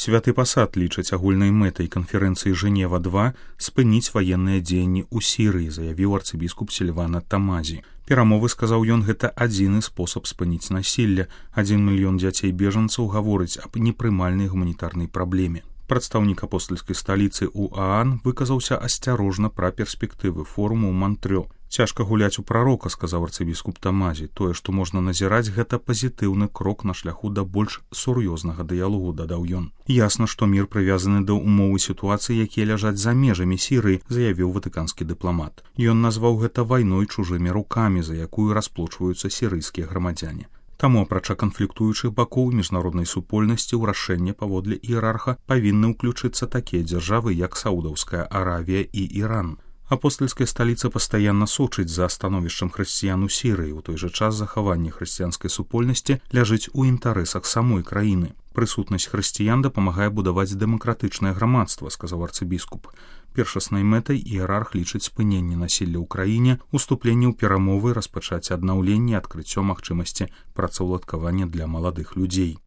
Святы пасад лічыць агульнай мэтай канферэнцыі Жэнева-2 спыніць ваенныя дзеянні ў Сірыі, заявіў арцыбіскуп Сільвана Тамазі. Перамовы, сказаў ён, гэта адзіны спосаб спыніць насілля. 1 мільён дзяцей-бежанцаў гаворыць аб непрымальнай гуманітарнай праблеме. Прадстаўнік апостальскай сталіцы УААН выказаўся асцярожна пра перспектывы форуму ў Мантрё. Цяжка гуляць у прарока, сказаў арцыбіскуп Тамазі. Тое, што можна назіраць, гэта пазітыўны крок на шляху да больш сур'ёзнага дыялогу, дадаў ён. Ясна, што мір прывязаны да умовы сітуацыі, якія ляжаць за межамі Сірыі, заявіў ватыканскі дыпламат. Ён назваў гэта вайной чужымі рукамі, за якую расплочваюцца сірыйскія грамадзяне. Таму, апрача канфліктуючых бакоў міжнароднай супольнасці ў рашэнне паводле іерарха павінны ўключыцца такія дзяржавы, як Саудаўская Аравія і Іран. Апостальская сталіца пастаянна сочыць за становішчам хрысціян у Сірыі. У той жа час захаванне хрысціянскай супольнасці ляжыць у інтарэсах самой краіны. Прысутнасць хрысціян дапамагае будаваць дэмакратычнае грамадства, сказаў арцыбіскуп. Першаснай мэтай іерарх лічыць спыненне насілля ў краіне, уступленне ў перамовы, распачаць аднаўленне, адкрыццё магчымасці працаўладкавання для маладых людзей.